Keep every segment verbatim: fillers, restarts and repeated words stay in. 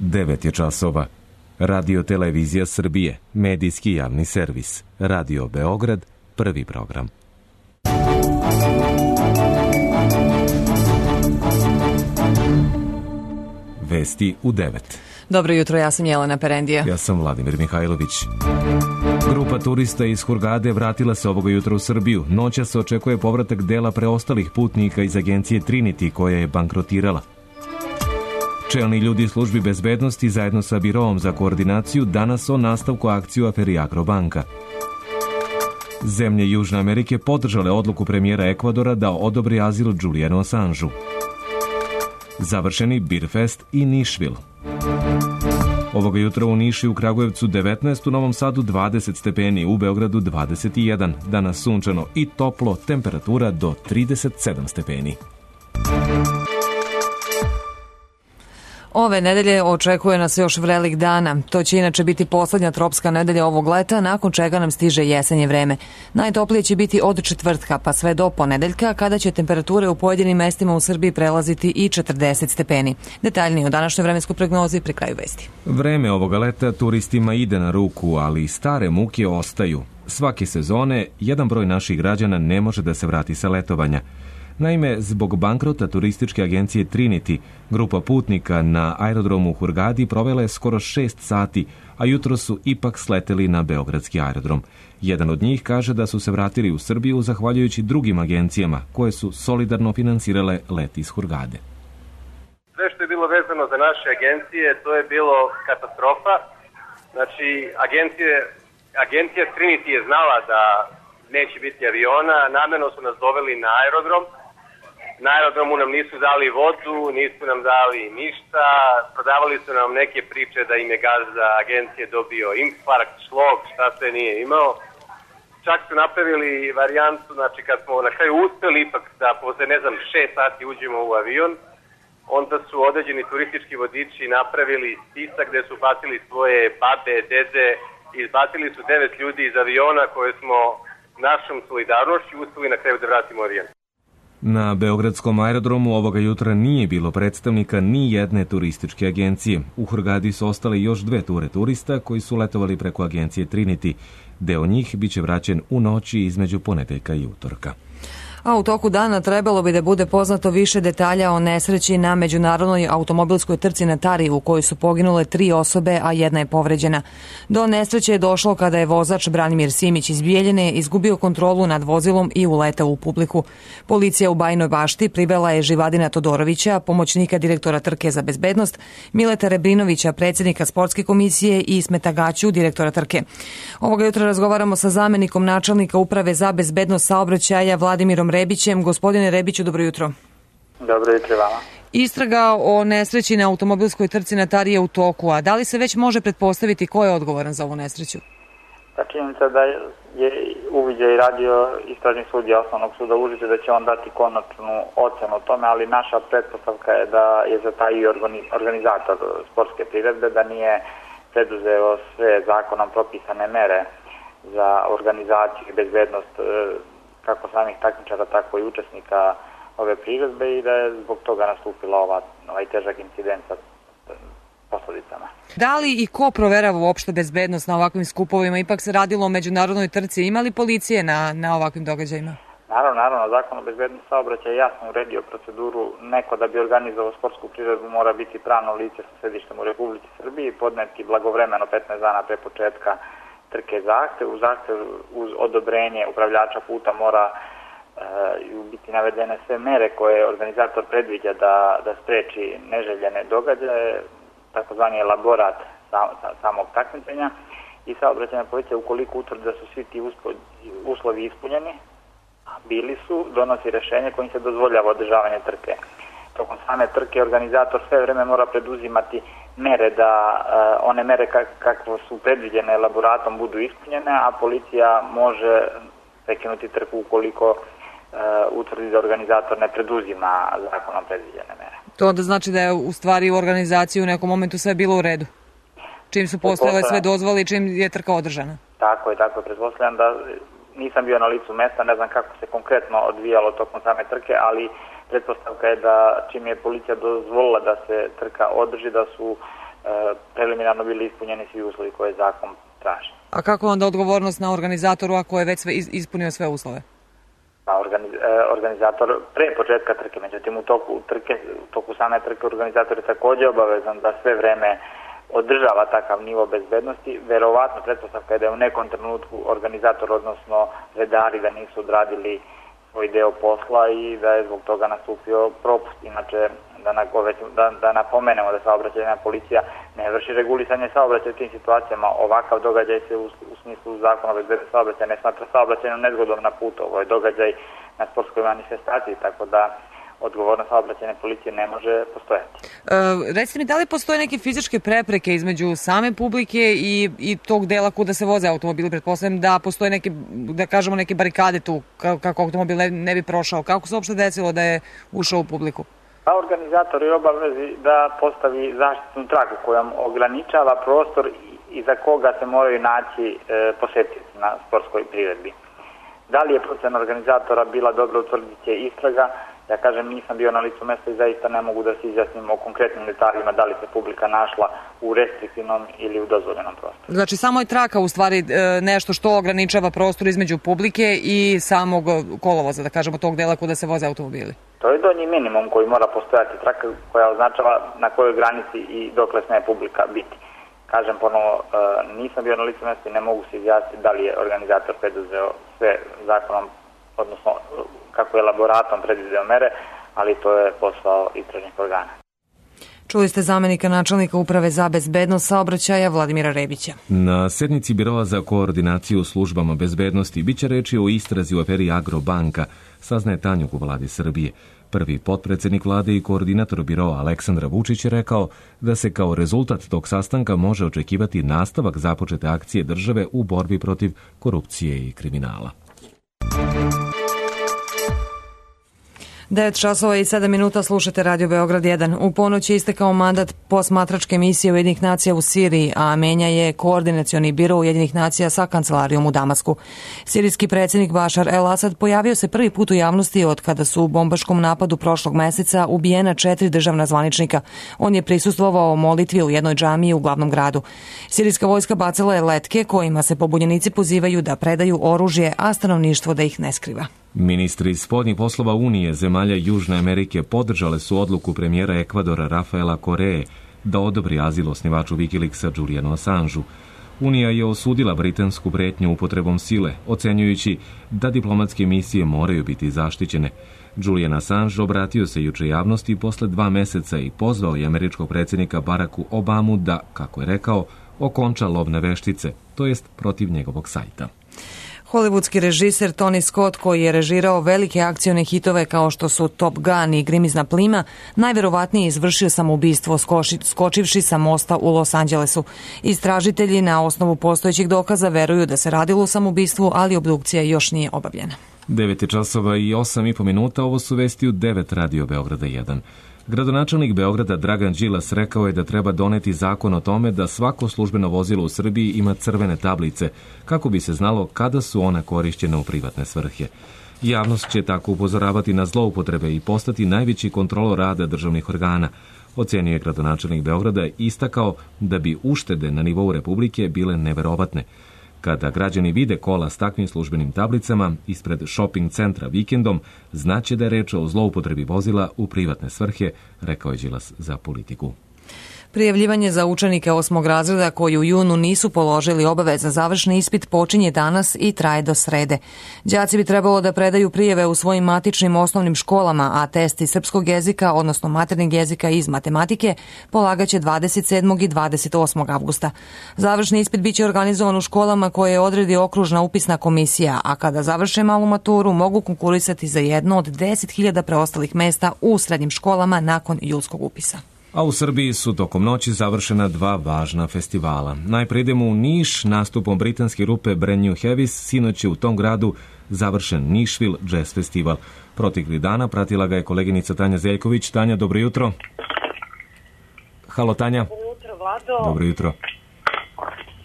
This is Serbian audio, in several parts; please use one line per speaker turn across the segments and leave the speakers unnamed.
devet je časova. Radio Televizija Srbije, medijski javni servis. Radio Beograd, prvi program. Vesti u devet.
Dobro jutro, ja sam Jelena Perendija.
Ja sam Vladimir Mihajlović. Grupa turista iz Hurgade vratila se ovoga jutra u Srbiju. Noća se očekuje povratak dela preostalih putnika iz agencije Trinity koja je bankrotirala. Čelni ljudi službi bezbednosti zajedno sa Biroom za koordinaciju danas o nastavku akciju u aferi Agrobanka. Zemlje Južne Amerike podržale odluku premijera Ekvadora da odobri azil Julianu Assangeu. Završeni Beerfest i Nišvil. Ovoga jutra u Nišu i u Kragujevcu devetnaest, u Novom Sadu dvadeset stepeni, u Beogradu dvadeset jedan. Danas sunčano i toplo, temperatura do trideset sedam stepeni.
Ove nedelje očekuje nas još vrelik dana. To će inače biti poslednja tropska nedelja ovog leta, nakon čega nam stiže jesenje vreme. Najtoplije će biti od četvrtka pa sve do ponedeljka, kada će temperature u pojedinim mestima u Srbiji prelaziti i četrdeset stepeni. Detaljnije o današnjoj vremenskoj prognozi pri kraju vesti.
Vreme ovoga leta turistima ide na ruku, ali stare muke ostaju. Svake sezone jedan broj naših građana ne može da se vrati sa letovanja. Naime, zbog bankrota turističke agencije Trinity, grupa putnika na aerodromu u Hurgadi provela je skoro šest sati, a jutro su ipak sleteli na beogradski aerodrom. Jedan od njih kaže da su se vratili u Srbiju zahvaljujući drugim agencijama koje su solidarno finansirale let iz Hurgade.
Sve što je bilo vezano za naše agencije, to je bilo katastrofa. Znači, agencije, agencija Trinity je znala da neće biti aviona, namerno su nas doveli na aerodrom. Na aerodromu nam nisu dali vodu, nisu nam dali ništa, prodavali su nam neke priče da im je gazda agencije dobio infarkt, šlog, šta sve nije imao. Čak su napravili varijantu, znači kad smo na kraju uspeli ipak da posle ne znam šest sati uđemo u avion, onda su određeni turistički vodiči napravili spisak gde su bacili svoje babe, dede i izbacili su devet ljudi iz aviona koje smo našom solidarnošću uspeli na kraju da vratimo avion.
Na beogradskom aerodromu ovoga jutra nije bilo predstavnika ni jedne turističke agencije. U Hurgadi su ostale još dve ture turista koji su letovali preko agencije Trinity. Deo njih biće vraćen u noći između ponedeljka i utorka.
A u toku dana trebalo bi da bude poznato više detalja o nesreći na međunarodnoj automobilskoj trci na Tari u kojoj su poginule tri osobe, a jedna je povređena. Do nesreće je došlo kada je vozač Branimir Simić iz Bijeljine izgubio kontrolu nad vozilom i uletao u publiku. Policija u Bajinoj Bašti privela je Živadina Todorovića, pomoćnika direktora trke za bezbednost, Mileta Rebrinovića, predsjednika sportske komisije i Ismeta Gaću, direktora trke. Ovoga jutra razgovaramo sa zamenikom načelnika Uprave za bezbednost saobraćaja Vladimirom Rebićem. Gospodine Rebiću, dobro jutro.
Dobro jutro vama.
Istraga o nesreći na automobilskoj trci na Tari je u toku, a da li se već može pretpostaviti ko je odgovoran za ovu nesreću?
Ta činjenica da je uviđaj radio istražni sudija Osnovnog suda Užice da će on dati konačnu ocenu o tome, ali naša pretpostavka je da je zatajio organizator sportske priredbe, da nije preduzeo sve zakonom propisane mere za organizaciju i bezbednost kako samih takmičara, tako i učesnika ove priredbe i da je zbog toga nastupila ova, ovaj težak incident sa posledicama.
Da li i ko proverava uopšte bezbednost na ovakvim skupovima? Ipak se radilo o međunarodnoj trci. Ima li policije na, na ovakvim događajima?
Naravno, naravno. Zakon o bezbednosti saobraćaja je jasno uredio proceduru. Neko da bi organizovao sportsku priredbu mora biti pravno lice sa sedištem u Republici Srbiji, podneti blagovremeno petnaest dana pre početka trke zahtev. U zahtev uz odobrenje upravljača puta mora e, biti navedene sve mere koje organizator predviđa da, da spreči neželjene događaje, takozvani elaborat sam, samog takmičenja i saobraćajna policija ukoliko utvrdi da su svi ti uslovi ispunjeni, a bili su, donosi rešenje kojim se dozvoljava održavanje trke. Tokom same trke organizator sve vreme mora preduzimati mere da uh, one mere kak, kako su predviđene elaboratom budu ispunjene, a policija može prekinuti trku ukoliko uh, utvrdi da organizator ne preduzima zakonom predviđene mere.
To onda znači da je u stvari u organizaciji u nekom momentu sve bilo u redu? Čim su postojale sve dozvole i čim je trka održana?
Tako je, tako je. Pretpostavljam da nisam bio na licu mesta, ne znam kako se konkretno odvijalo tokom same trke, ali pretpostavka je da čim je policija dozvolila da se trka održi, da su preliminarno bili ispunjeni svi uslovi koje zakon traži.
A kako onda odgovornost na organizatoru ako je već sve ispunio sve uslove?
Pa organiz, organizator pre početka trke, međutim u toku trke, u toku same trke organizator je također obavezan da sve vreme održava takav nivo bezbednosti. Verovatno pretpostavka je da je u nekom trenutku organizator, odnosno redari, da nisu odradili svoj deo posla i da je zbog toga nastupio propust. Inače, da, na, da, da napomenemo da saobraćajna policija ne vrši regulisanje saobraćaja u tim situacijama. Ovakav događaj se u, u smislu zakona o bezbednosti saobraćaja ne smatra saobraćajnom nezgodom na putu. Ovo je događaj na sportskoj manifestaciji, tako da odgovornost saobraćajne policije ne može postojati.
E, recite mi, da li postoje neke fizičke prepreke između same publike i, i tog dela kuda se voze automobili? Pretpostavljam da postoje neke, da kažemo, neke barikade tu kako automobil ne, ne bi prošao. Kako se uopšte desilo da je ušao u publiku?
Pa organizator je obavezi da postavi zaštitnu traku kojom ograničava prostor iza koga se moraju naći e, posetioci na sportskoj priredbi. Da li je procena organizatora bila dobro, utvrdit će istraga. Ja kažem, nisam bio na licu mesta i zaista ne mogu da se izjasnim o konkretnim detaljima da li se publika našla u restriktivnom ili u dozvoljenom prostoru.
Znači, samo je traka u stvari nešto što ograničava prostor između publike i samog kolovoza, da kažemo, tog dela kuda se voze automobili.
To je donji minimum koji mora postojati, traka koja označava na kojoj granici i dokle sme publika biti. Kažem ponovo, nisam bio na licu mesta i ne mogu se izjasniti da li je organizator preduzeo sve zakonom, odnosno kako je laboratom predvideo mere, ali to je posao istražnih organa.
Čuli ste zamenika načelnika Uprave za bezbednost saobraćaja Vladimira Rebića.
Na sednici Biroa za koordinaciju službama bezbednosti biće reči o istrazi u aferi Agrobanka, saznaje Tanjug u Vladi Srbije. Prvi potpredsednik vlade i koordinator biroa Aleksandar Vučić je rekao da se kao rezultat tog sastanka može očekivati nastavak započete akcije države u borbi protiv korupcije i kriminala.
devet časova i sedam minuta, slušate Radio Beograd jedan. U ponoć je istekao mandat posmatračke misije Ujedinjenih nacija u Siriji, a menja je koordinacioni biro Ujedinjenih nacija sa kancelarijom u Damasku. Sirijski predsjednik Bašar el-Asad pojavio se prvi put u javnosti od kada su u bombaškom napadu prošlog meseca ubijena četiri državna zvaničnika. On je prisustvovao molitvi u jednoj džamiji u glavnom gradu. Sirijska vojska bacila je letke kojima se pobunjenici pozivaju da predaju oružje, a stanovništvo da ih ne skriva.
Ministri spoljnih poslova Unije zemalja Južne Amerike podržale su odluku premijera Ekvadora Rafaela Koreje da odobri azil osnivaču Wikileaksa Julianu Assangeu. Unija je osudila britansku pretnju upotrebom sile, ocenjujući da diplomatske misije moraju biti zaštićene. Julian Assange obratio se juče javnosti posle dva meseca i pozvao je američkog predsjednika Baracku Obamu da, kako je rekao, okonča lovne veštice, to jest protiv njegovog sajta.
Hollywoodski režiser Tony Scott, koji je režirao velike akcione hitove kao što su Top Gun i Grimizna plima, najverovatnije izvršio samoubistvo skočivši sa mosta u Los Angelesu. Istražitelji na osnovu postojećih dokaza veruju da se radilo o samoubistvu, ali obdukcija još nije obavljena.
devet časova i osam i po minuta, ovo su vesti u devet Radio Beograda jedan. Gradonačelnik Beograda Dragan Đilas rekao je da treba doneti zakon o tome da svako službeno vozilo u Srbiji ima crvene tablice, kako bi se znalo kada su ona korišćena u privatne svrhe. Javnost će tako upozoravati na zloupotrebe i postati najveći kontrolor rada državnih organa. Ocenio je gradonačelnik Beograda i istakao da bi uštede na nivou Republike bile neverovatne. Kada građani vide kola s takvim službenim tablicama ispred shopping centra vikendom, znaće da je reč o zloupotrebi vozila u privatne svrhe, rekao je Đilas za Politiku.
Prijavljivanje za učenike osmog razreda koji u junu nisu položili obavezan završni ispit počinje danas i traje do srede. Đaci bi trebalo da predaju prijave u svojim matičnim osnovnim školama, a testi srpskog jezika, odnosno maternjeg jezika iz matematike, polagaće dvadeset sedmog i dvadeset osmog avgusta. Završni ispit biće organizovan u školama koje odredi okružna upisna komisija, a kada završe malu maturu mogu konkurisati za jedno od deset hiljada preostalih mesta u srednjim školama nakon julskog upisa.
A u Srbiji su tokom noći završena dva važna festivala. Najprije idemo u Niš, nastupom britanske grupe Brand New Heavies, sinoć je u tom gradu završen Nišville Jazz Festival. Proteklih dana pratila ga je koleginica Tanja Zeljković. Tanja, dobro jutro. Halo, Tanja.
Dobro jutro, Vlado.
Dobro jutro.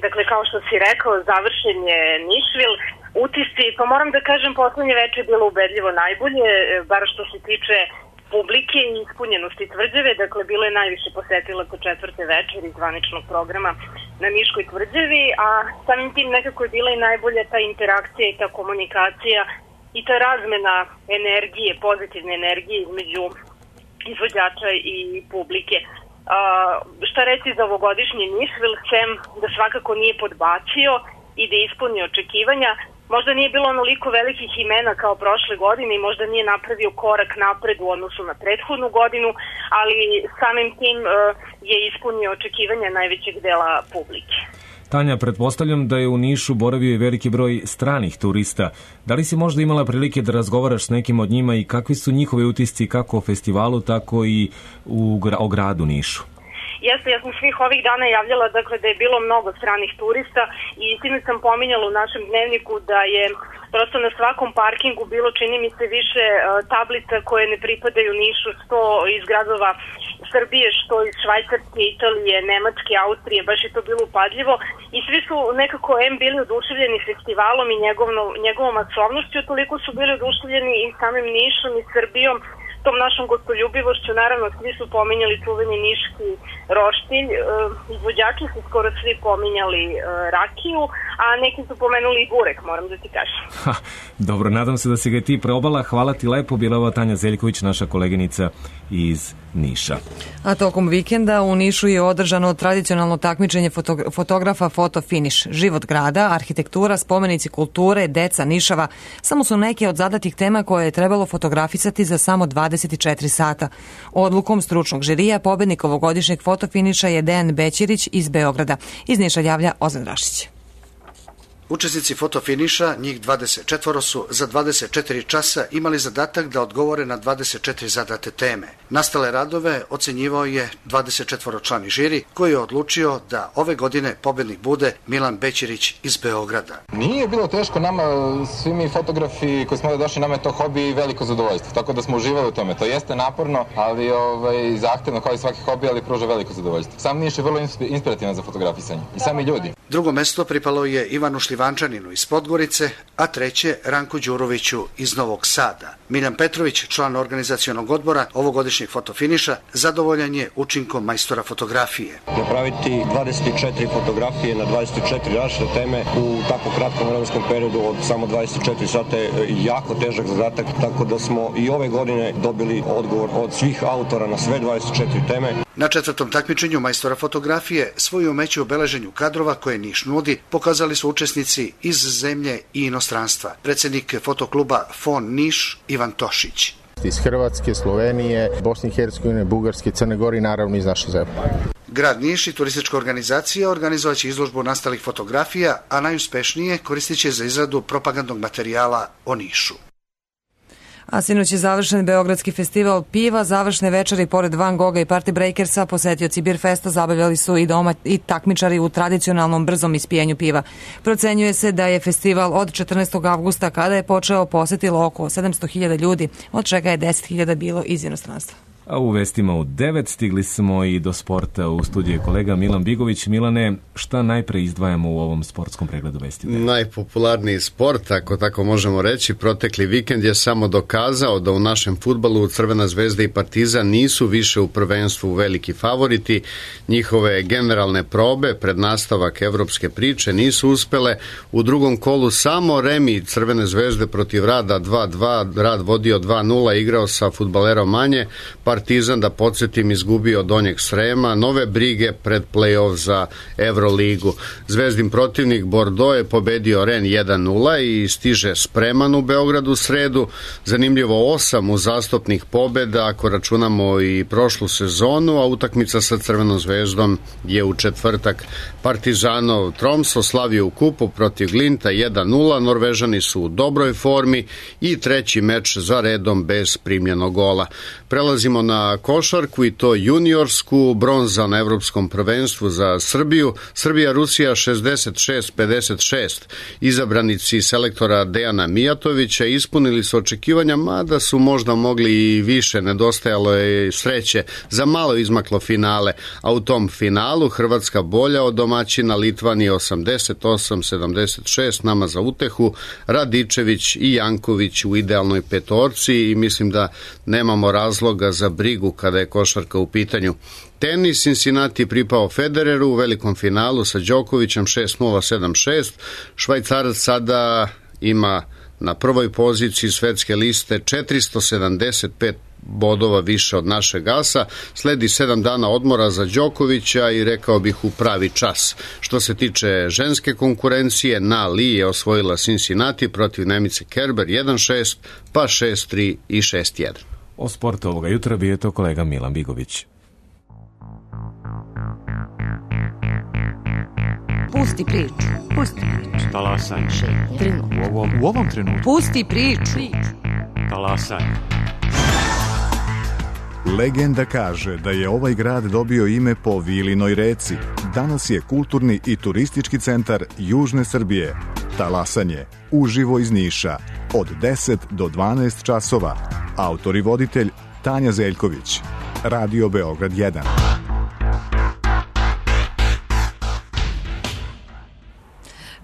Dakle, kao što si rekao, završen je Nišville. Utisci, pa moram da kažem, poslednje veče je bilo ubedljivo najbolje, bar što se tiče publike i ispunjenosti tvrđave, dakle bilo je najviše posetilaca četvrte večeri zvaničnog programa na Niškoj tvrđavi, a samim tim nekako je bila i najbolja ta interakcija i ta komunikacija i ta razmena energije, pozitivne energije između izvođača i publike. Uh, šta reći za ovogodišnji Nišvil, sem da svakako nije podbacio i da ispunio očekivanja. Možda nije bilo onoliko velikih imena kao prošle godine i možda nije napravio korak napred u odnosu na prethodnu godinu, ali samim tim uh, je ispunio očekivanja najvećeg dela publike.
Tanja, pretpostavljam da je u Nišu boravio i veliki broj stranih turista. Da li si možda imala prilike da razgovaraš s nekim od njima i kakvi su njihovi utisci kako o festivalu, tako i u, o gradu Nišu?
Jeste, ja sam svih ovih dana javljala dakle, da je bilo mnogo stranih turista i sinoć sam pominjala u našem dnevniku da je prosto na svakom parkingu bilo, čini mi se, više uh, tablica koje ne pripadaju Nišu, što iz gradova Srbije, što iz Švajcarske, Italije, Nemačke, Austrije, baš je to bilo upadljivo i svi su nekako em bili oduševljeni festivalom i njegovno, njegovom masovnošću, toliko su bili oduševljeni i samim Nišom i Srbijom, tom našom gostoljubivošću. Naravno, svi su pominjali čuveni niški roštilj, e, izvođači su skoro svi pominjali e, rakiju, a neki su pomenuli i burek, moram da ti kažem.
Ha, dobro, nadam se da si ga i ti probala. Hvala ti lepo, bila ova Tanja Zeljković, naša koleginica iz Niša.
A tokom vikenda u Nišu je održano tradicionalno takmičenje foto- fotografa Foto Finish. Život grada, arhitektura, spomenici kulture, deca Nišava, samo su neke od zadatih tema koje je trebalo fotografisati za samo dvadeset četiri sata. Odlukom stručnog žirija pobednik ovogodišnjeg fotofiniša je Dejan Bećirić iz Beograda. Iz Niša javlja Ozan Rašić.
Učesnici fotofiniša, njih dvadeset četvoro su za dvadeset četiri časa imali zadatak da odgovore na dvadeset četiri zadate teme. Nastale radove ocenjivao je dvadeset četvoro člani žiri koji je odlučio da ove godine pobednik bude Milan Bećirić iz Beograda.
Nije bilo teško nama, svi mi fotografi koji smo došli, nama je to hobi i veliko zadovoljstvo, tako da smo uživali u tome. To jeste naporno, ali ovaj, zahtevno kao i svaki hobi, ali pruža veliko zadovoljstvo. Sam Niš je vrlo inspirativan za fotografisanje i sami ljudi.
Drugo mesto pripalo je Ivanu Šljivančaninu iz Podgorice, a treće Ranku Đuroviću iz Novog Sada. Miljan Petrović, član organizacionog odbora ovogodišnjeg fotofiniša, zadovoljan je učinkom majstora fotografije.
Napraviti dvadeset četiri fotografije na dvadeset četiri različite teme u tako kratkom vremenskom periodu od samo dvadeset četiri sata je jako težak zadatak, tako da smo i ove godine dobili odgovor od svih autora na sve dvadeset četiri teme.
Na četvrtom takmičenju majstora fotografije svoju umeće u beleženju kadrova koje Niš nudi pokazali su učesnici iz zemlje i inostranstva. Predsjednik fotokluba Fon Niš Ivan Tošić.
Iz Hrvatske, Slovenije, Bosne i Hercegovine, Bugarske, Crne Gore i naravno iz naše zemlje.
Grad Niš i turistička organizacija organizovaće izložbu nastalih fotografija, a najuspešnije koristit će za izradu propagandnog materijala o Nišu.
A sinoć je završen Beogradski festival piva, završne večeri pored Van Gogha i Party Breakersa, posetioci Bir Festa zabavljali su i doma i takmičari u tradicionalnom brzom ispijenju piva. Procenjuje se da je festival od četrnaestog avgusta kada je počeo posetilo oko sedamsto hiljada ljudi, od čega je deset hiljada bilo iz inostranstva.
A u vestima u devet stigli smo i do sporta. U studiju je kolega Milan Bigović. Milane, šta najpre izdvajamo u ovom sportskom pregledu vesti?
Najpopularniji sport, ako tako možemo reći, protekli vikend je samo dokazao da u našem fudbalu Crvena zvezda i Partizan nisu više u prvenstvu veliki favoriti. Njihove generalne probe pred nastavak evropske priče nisu uspele. U drugom kolu samo remi Crvene zvezde protiv Rada dva dva. Rad vodio dva nula, igrao sa fudbalerom manje. Partizan, da podsjetim, izgubio Donjeg Srema, nove brige pred play-off za Euroligu. Zvezdin protivnik Bordeaux je pobedio Ren jedan nula i stiže spreman u Beogradu u sredu. Zanimljivo osam uzastopnih pobeda ako računamo i prošlu sezonu, a utakmica sa Crvenom zvezdom je u četvrtak. Partizanov Tromso slavio u kupu protiv Glinta jedan nula, Norvežani su u dobroj formi i treći meč za redom bez primljenog gola. Prelazimo na na košarku i to juniorsku, bronza na evropskom prvenstvu za Srbiju. Srbija-Rusija šezdeset šest pedeset šest. Izabranici selektora Dejana Mijatovića ispunili su očekivanja, mada su možda mogli i više, nedostajalo je sreće. Za malo izmaklo finale, a u tom finalu Hrvatska bolja od domaćina, Litvanije osamdeset osam sedamdeset šest, nama za utehu, Radičević i Janković u idealnoj petorci i mislim da nemamo razloga za brigu kada je košarka u pitanju. Tenis, Cincinnati pripao Federeru u velikom finalu sa Đokovićem šest nula sedam šest. Švajcarac sada ima na prvoj poziciji svetske liste četiristo sedamdeset pet bodova više od našeg asa. Sledi sedam dana odmora za Đokovića i rekao bih u pravi čas. Što se tiče ženske konkurencije, Na Li je osvojila Cincinnati protiv Nemice Kerber jedan šest, pa šest tri i šest jedan.
O sportu ovoga jutra bio je to kolega Milan Bigović.
Pusti priču. Pusti priču.
Talasanje.
Trenutno.
U ovom, u ovom trenutku.
Pusti priču.
Talasanje.
Legenda kaže da je ovaj grad dobio ime po Vilinoj reci. Danas je kulturni i turistički centar Južne Srbije. Talasanje, uživo iz Niša, od deset do dvanaest časova. Autor i voditelj Tanja Zeljković. Radio Beograd jedan.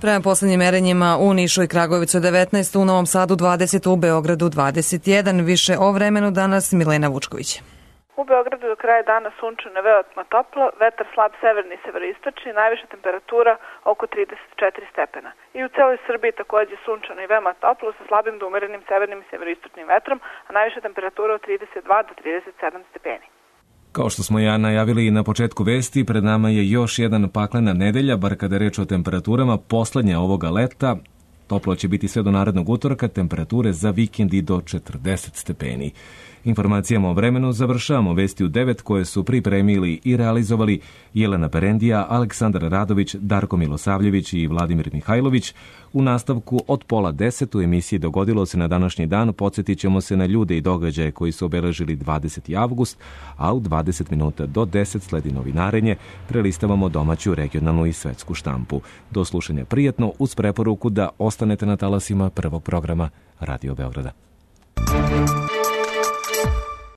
Prema poslednjim merenjima u Nišu i Kragujevcu devetnaest, u Novom Sadu dvadeset, u Beogradu dvadeset jedan. Više o vremenu danas Milena Vučković.
U Beogradu do kraja dana sunčano, veoma toplo, vetar slab severni i severoistočni, najviša temperatura oko trideset četiri stepena. I u celoj Srbiji takođe sunčano i veoma toplo sa slabim do umerenim severnim i severoistočnim vetrom, a najviša temperatura od trideset dva do trideset sedam stepeni.
Kao što smo ja najavili na početku vesti, pred nama je još jedan paklena nedelja, bar kada je reč o temperaturama, poslednja ovoga leta. Toplo će biti sve do narednog utorka, temperature za vikend i do četrdeset stepeni. Informacijama o vremenu završavamo vesti u devet koje su pripremili i realizovali Jelena Perendija, Aleksandar Radović, Darko Milosavljević i Vladimir Mihajlović. U nastavku od pola deset u emisiji Dogodilo se na današnji dan podsjetit ćemo se na ljude i događaje koji su obeležili dvadeseti avgust, a u dvadeset minuta do deset sledi novinarenje, prelistavamo domaću, regionalnu i svetsku štampu. Do slušanja prijatno uz preporuku da ostanete na talasima prvog programa Radio Beograda.